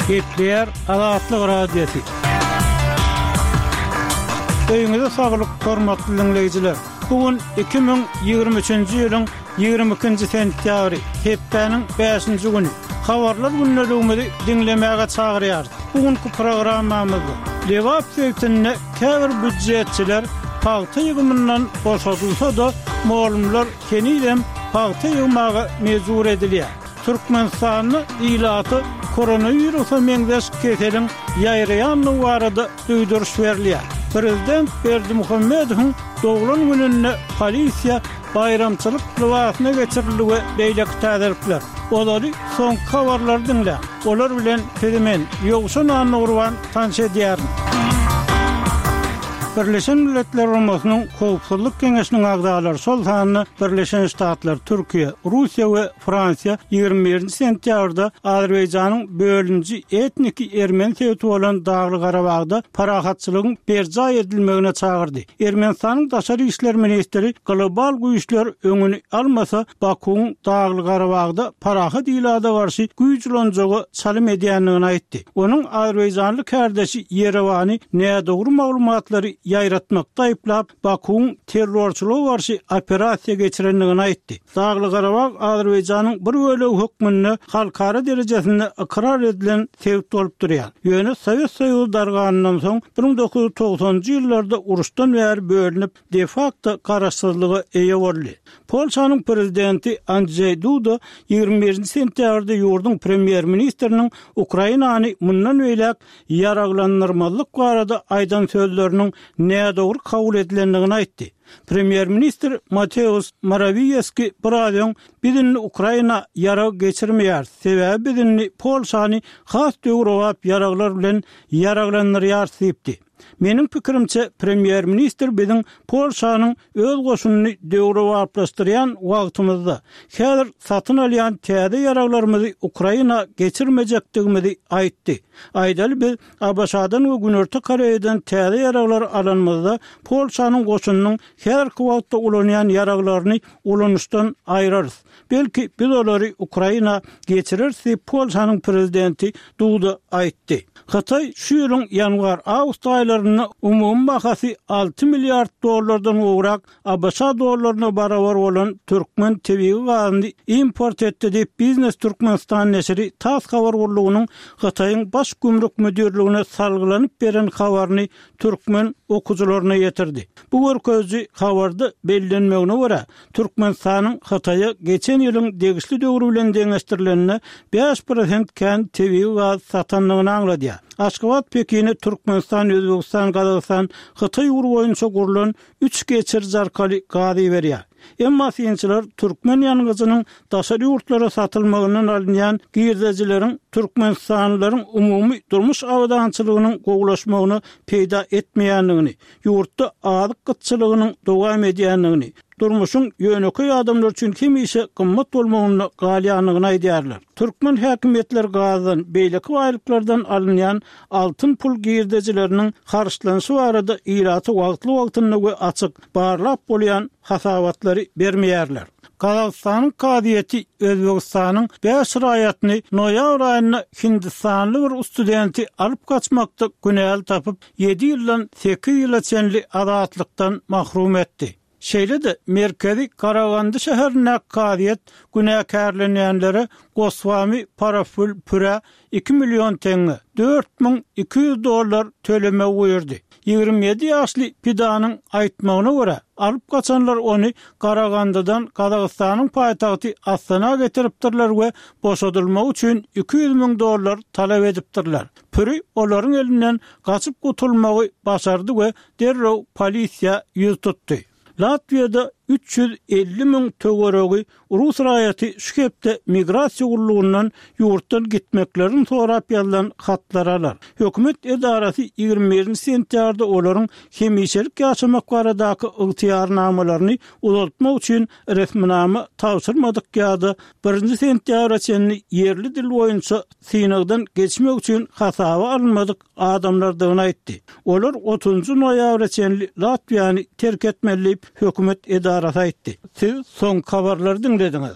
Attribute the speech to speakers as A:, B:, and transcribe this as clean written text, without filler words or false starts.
A: Gepleýär Azatlyk Radiosy. Öýüňize saglyk, hormatly diňleýjiler! Bu gün 2023-nji ýylyň 22-nji sentýabry, hepdäniň bäşinji güni. Habarlar gündeligimizi diňlemäge çagyrýarys. Bu günki programmamyzda Lebap sebitinde käbir býujetçiler pagta ýygymyndan boşadylsa-da, mugallymlar henizem pagta ýygmaga mejbur edilýär. Türkmenistanda ilata koronawirusa meňzeş keseliň ýaýraýandygy barada duýduryş berilýär. Prezident Berdimuhamedowyň doglan gününde polisiýa baýramçylyk lybasyna geçirildi we beýleki täzelikler. Ozaly soňky habarlary diňläň. Olar bilen sizi men, Ýowşan Annagurban tanyş edýärin. Birleşen Milletler Guramasynyň Howpsuzlyk Geňeşiniň agzalary, şol sanda Birleşen Ştatlar, Türkiýe, Russiýa we Fransiýa 21-nji sentýabrda Azerbaýjanyň bölüniji etniki ermeni sebiti bolan Dagly-Garabagda parahatçylygyň berjaý edilmegine çagyrdy. Ermenistanyň daşary işler ministri global güýçler öňüni almasa, Bakuwyň Dagly-Garabagda parahat ilata garşy güýç ulanjaga çalym edýändigini aýtdy. Onuň azerbaýjanly kärdeşi Ýerewany nädogry maglumatlary ýaýratmakda aýyplap, Bakuwyň terrorçylyga garşy operasiýa geçirendigini aýtdy. Dagly-Garabag Azerbaýjanyň bir bölegi hökmünde halkara derejesinde ykrar edilen sebit bolup durýar. Ýöne Sowet Soýuzy darganyndan soň, 1990-njy ýyllarda uruşdan bäri bölünip, de-fakto garaşsyzlyga eýe boldy. Polşanyň prezidenti Andžeý Duda 21-nji sentýabrda ýurduň premýer-ministriniň Ukrainany mundan beýläk ýaraglandyrmazlyk barada aýdan sözleriniň nädogry kabul edilendigini aýtdy. Premýer-ministr Mateusz Morawiýeski biraz öň Biz indi Ukraina ýarag geçirmeýäris, sebäbi biz indi Polşany has döwrebap ýaraglar bilen ýaraglandyrýarys diýipdi. Meniň pikirimçe, premýer-ministr biziň Polşanyň öz goşunyny döwrebaplaşdyrýan wagtymyzda, häzir satyn alýan täze ýaraglarymyzy Ukraina geçirmejekdigimizi aýtdy. Aýdaly, biz ABŞ-dan we Günorta Koreýadan täze ýaraglary alanymyzda, Polşanyň goşunynyň häzirki wagtda ulanýan ýaraglaryny ulanyşdan aýrarys. Belki, biz olary Ukraina geçireris diýip, Polşanyň prezidenti Duda aýtdy. Hytaý şu ýylyň ýanwar-awgust aýlarynda umumy bahasy 6 milliard dollardan gowrak ABŞ dollaryna barabar bolan türkmen tebigy gazyny import etdi diýip, Biznes Türkmenistan neşiri tass habar gullugynyň Hytaýyň Baş gümrük müdirligine salgylanyp beren habaryny türkmen okyjylaryna ýetirdi. Bu görkeziji habarda bellenmegine görä, Türkmenistanyň Hytaýa geçen ýylyň degişli döwri bilen deňeşdirilende 5% kän tebigy gaz satandygyny aňladýar. Aşgabat Pekine Türkmenistan, Özbegistan, Gazagystan, Hytaý ugry boýunça gurlan üç geçiriji arkaly gaz iberýär. Emma synçylar türkmen ýangyjynyň daşary ýurtlara satylmagyndan alynýan girdejileriň türkmenistanlylaryň umumy durmuş abadançylygynyň gowulaşmagyna peýda etmeýändigini, ýurtda azyk gytçylygynyň dowam edýändigini, durmuşyň ýönekeý adamlar üçin hemişe gymmat bolmagynda galýandygyny aýdýarlar. Türkmen häkimiýetleri gazdan, beýleki baýlyklardan alynýan altyn pul girdejileriniň harçlanyşy barada ilata wagtly-wagtynda we açyk, barlap bolýan hasabatlary bermeýärler. Gazagystanyň kazyýeti Özbegistanyň bäş raýatyny noýabr aýynda hindistanly bir studenti alyp gaçmakda günäli tapyp, ýedi ýyldan sekiz ýyla çenli azatlykdan mahrum etdi. Şeýle-de merkezi Karagandy şäherindäki kazyýet günäkärlenýänlere Goswami Paraful Pürä iki million teňňe, 4200 dollar, tölemegi buýurdy. 27 ýaşly pidanyň aýtmagyna görä, alyp gaçanlar ony Garagandydan Gazagystanyň paýtagty Astana getiripdirler we boşadylmagy üçin 200 müň dollar talap edipdirler. Püri olaryň elinden gaçyp gutulmagy başardy we derrew polisiýa ýüz tutdy. Latwiýada 350 müň töweregi rus raýaty şu hepde migrasiýa gullugyndan ýurtdan gitmeklerini sorap ýazylan hatlary alar. Hökümet edarasy 21-nji sentýabrda olaryň hemişelik ýaşamak baradaky ygtyýarnamalaryny uzaltmak üçin resminama tabşyrmadyk ýa-da birinji sentýabra çenli ýerli dil boýunça synagdan geçmek üçin hasaba alynmadyk adamlardygyny aýtdy. Olar otuzynjy noýabra çenli Latwiýany terk etmeli diýip, hökümet edarasy aýtdy. Siz soňky habarlary diňlediňiz.